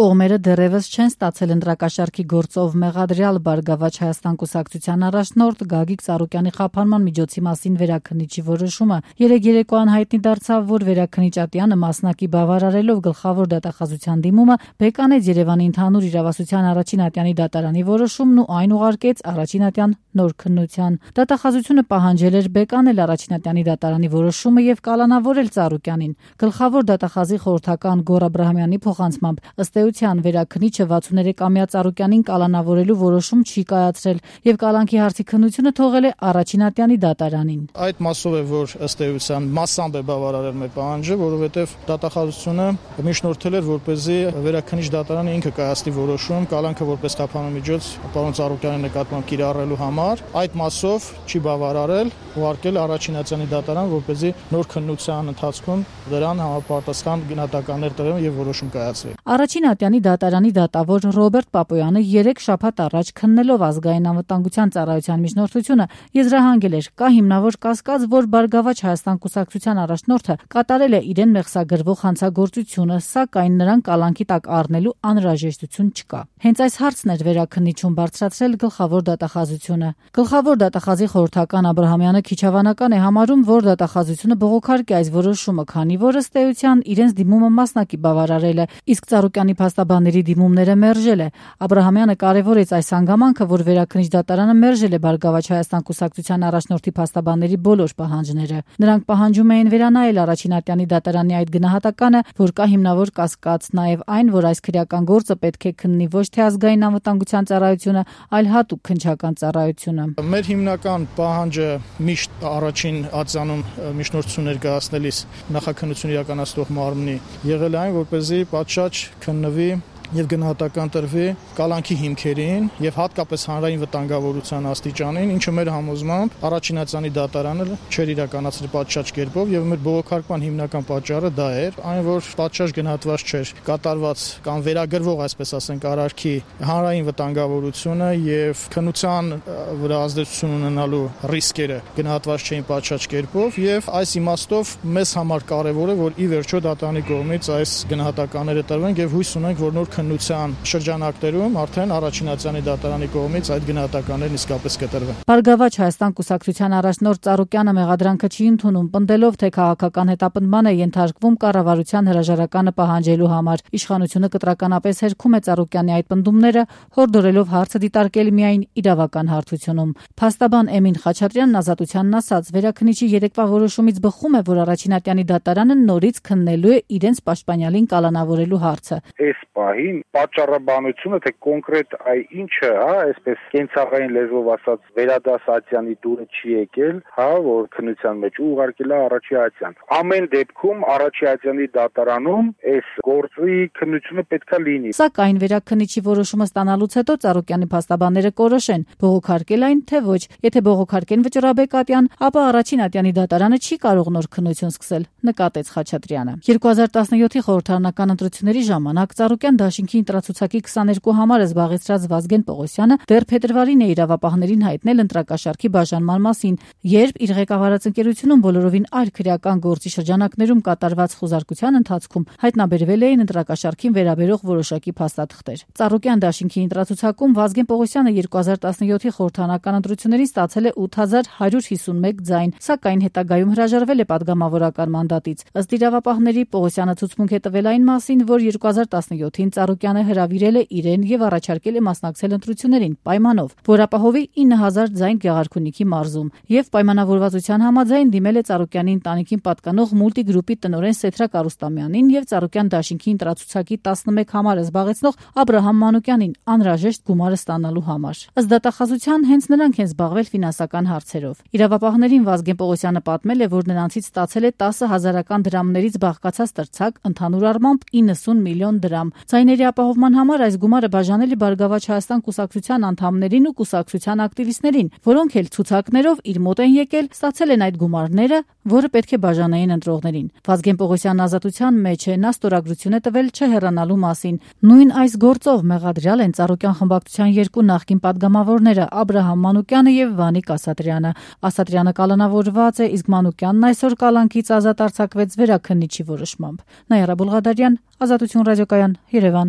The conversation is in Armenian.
Կողմերը դեռևս չեն ստացել ընտրակաշառքի գործով մեղադրյալ Բարգավաճ Հայաստան կուսակցության առաջնորդ Գագիկ Ծառուկյանի խափանման միջոցի մասին վերաքննիչի որոշումը։ Երեկ երեկոյան հայտնի դարձավ, որ վերաքննիչ Ատյանը մասնակի բավարարելով գլխավոր դատախազության դիմումը բեկանեց Երևանի ընդհանուր իրավասության առաջին Ատյանի դատարանի որոշումն ու այն ուղարկեց առաջին Ատյան նոր քննության։ Դատախազությունը պահանջել էր բեկանել առաջին Ատյանի դատարանի որոշումը եւ կալանավորել Ծառուկյանին։ Գլխավոր դատախազի խորհրդական Գոռ Աբրահամյանի փոխանցմամբ ըստ էության վերաքննիչը 63-ամյա Ծառուկյանին կալանավորելու որոշում չի կայացրել եւ կալանքի հարցի քննությունը թողել է առաջին Ատյանի դատարանին։ Այդ մասով է, որ ըստ էության մասամբ է բավարարել մեր պահանջը, որովհետեւ դատախազությունը միջնորդել էր, որպեսզի վերաքննիչ դատարանը ինքը կայացնի որոշում կալանքը որպես խափանման միջոց պարոն Ծառուկյանի նկատմամբ կիրառելու համար։ Այդ մասով չի բավարարել, ուղարկել առաջին Ատյանի դատարան, որպեսզի նոր քննության ընթացքում դրան համապատասխան գնահատականներ տրվեն եւ որոշում կայացվի։ Առաջին Ատյանի դատարանի դատավոր Ռոբերտ Պապոյանը 3 շաբաթ առաջ քննելով ազգային անվտանգության ծառայության միջնորդությունը եզրահանգել էր, կա հիմնավոր կասկած, որ Բարգավաճ Հայաստան կուսակցության առաջնորդը կատարել է իրեն մեղսագրվող հանցագործությունը, սակայն նրան կալանքի տակ առնելու անհրաժեշտություն չկա։ Հենց այս հարցն էր վերաքննիչում բարձրացրել գլխավոր դատախազությունը։ Գլխավոր դատախազի խորհրդական Աբրահամյանը քիչ հավանական է համարում, որ դատախազությունը բողոքարկի այս որոշումը, քանի որ ըստ էության իրենց դիմումը մասնակի բավարարել է, իսկ Ծառուկյանի փաստաբանների դիմումները մերժել է։ Աբրահամյանը կարևորեց այս հանգամանքը, որ վերաքննիչ դատարանը մերժել է Բարգավաճ Հայաստան կուսակցության առաջնորդի փաստաբանների բոլոր պահանջները։ Նրանք պահանջում էին վերանայել առաջին Ատյանի դատարանի այդ գնահատականը, որ կա հիմնավոր կասկած, նաև այն, որ այս քրեական գործը պետք է քննի ոչ թե ազգային անվտանգության ծառայությունը, այլ հատուկ քննչական ծառայությունը։ Մեր հիմնական պահանջը միշտ առաջին ատյանում միջնորդություն ներկայացնելիս նախաքննություն իրականացնող մարմնի եղել այն, որպեսզի պատշաճ քննվի եւ գնահատական տրվի կալանքի հիմքերին եւ հատկապես հանրային վտանգավորության աստիճանին, ինչը մեր համոզմամբ առաջին Ատյանի դատարանը չէր իրականացրել պատշաճ կերպով եւ մեր բողոքարկման հիմնական պատճառը դա էր, այն որ պատշաճ գնահատված չէր կատարված կամ վերագրվող, այսպես ասենք, արարքի հանրային վտանգավորությունը եւ քննության վրա ազդեցություն ունենալու ռիսկերը գնահատված չէին պատշաճ կերպով եւ այս իմաստով մեզ համար կարեւոր է, որ ի վերջո դատարանի կողմից այս գնահատականները տրվեն եւ հույս ունենք, որ նոր քննության շրջանակներում արդեն առաջին Ատյանի դատարանի կողմից այդ գնահատականներն իսկապես կտրվեն։ Բարգավաճ Հայաստան կուսակցության առաջնորդ Ծառուկյանը մեղադրանքը չի ընդունում, պնդելով, թե քաղաքական հետապնդման է ենթարկվում կառավարության հրաժարականը պահանջելու համար։ Իշխանությունը կտրականապես հերքում է Ծառուկյանի այդ պնդումները, հորդորելով հարցը դիտարկել միայն իրավական հարթությունում։ Փաստաբան Էմին Խաչատրյանն Ազատությանն ասաց, վերաքննիչի երեկվա որոշումից բխում է, որ առաջին Ատյանի դատարանը նորից քննելու է իրենց պաշտպանյալին կալանավորելու հարցը։ Այս պահին պատճառաբանությունը, թե կոնկրետ ինչը, այսպես կենցաղային լեզվով ասած, վերադաս Ատյանի դուրը չի եկել, որ քննության մեջ ուղարկել է առաջի Ատյան։ Ամեն դեպքում առաջի Ատյանի դատարանում այս գործի քննությունը պետքա լինի։ Սակայն վերաքննիչի որոշումը ստանալուց հետո Ծառուկյանի փաստաբանները կորոշեն, բողոքարկել այն, թե ոչ։ Եթե բողոքարկեն վճռաբեկ Ատյան, ապա առաջին Ատյանի դատարանը չի կարող նոր քննություն սկսել, նկատեց Խաչատրյանը։ 2017-ի խորհրդարանական ընտրությունների ժամանակ Ծառուկյան դաշինքի ընտրացուցակի 22 համարը զբաղեցրած Վազգեն Պողոսյանը դեռ փետրվարին է իրավապահներին հայտնել ընտրակաշառքի բաժանման մասին, երբ իր ղեկավարած ընկերությունում բոլորովին այլ քրեական գործի շրջանակներում կատարված խոզարկության ընթացքում հայտնաբերվել էին ընտրակաշառքին վերաբերող որոշակի փաստաթղթեր։ Ծառուկյան դաշինքի ընտրացուցակում Վազգեն Պողոսյանը 2017-ի խորհրդարանական ընտրություններին ստացել է 8151 ձայն, սակայն հետագայում հրաժարվել է падգամավորական մանդատից։ Ըստ իրավապահների Պողոսյանը ցուցմունք է տվել այն մասին, որ 2017-ին Ծառուկյանը հրավիրել է իրեն եւ առաջարկել է մասնակցել ընտրություններին պայմանով, որ ապահովի 9000 ձայն Գեղարքունիքի մարզում եւ պայմանավորվածության համաձայն դիմել է Ծառուկյանի ընտանիքին պատկանող մուլտիգրուպի տնօրեն Սեթրակ Արուստամյանին եւ Ծառուկյան դաշինքի ընտրացուցակի 11 համարը զբաղեցնող Աբրահամ Մանուկյանին անհրաժեշտ գումարը ստանալու համար։ Ըստ դատախազության հենց նրանք են զբաղվել ֆինանսական հարցերով։ Իրավապահներին Վազգեն Պողոսյանը պատմել է, որ նրանցից ստացել է 10,000 դրամներից բաղկացած տրցակ, ընդհանուր առմամբ 90 միլիոն դրամ։ Ձայների ապահովման համար այս գումարը բաժանել է Բարգավաճ Հայաստան կուսակցության անդամներին ու կուսակցության ակտիվիստներին, որոնք էլ ցուցակներով իր մոտ են եկել, ստացել են այդ գումարները, որը պետք է բաժանեին ընտրողներին։ Վազգեն Պողոսյանն Ազատության մեջ է, նա ստորագրություն է տվել չհեռանալու մասին։ Նույն այս գործով մեղադրյալ են Ծառուկյան խմբակցության երկու նախկին падգամավորները Աբրահամ Մանուկյանը եւ Վանիկ Ասատրյանը։ Ասատրյանը կալանավորված է, իսկ Մանուկյանն այսօր կալանքից ազատ արձակվեց վերաքննիչի որոշմամբ։ Նայարա Բուլղադարյան, Ազատություն ռադիոկայան, Երևան։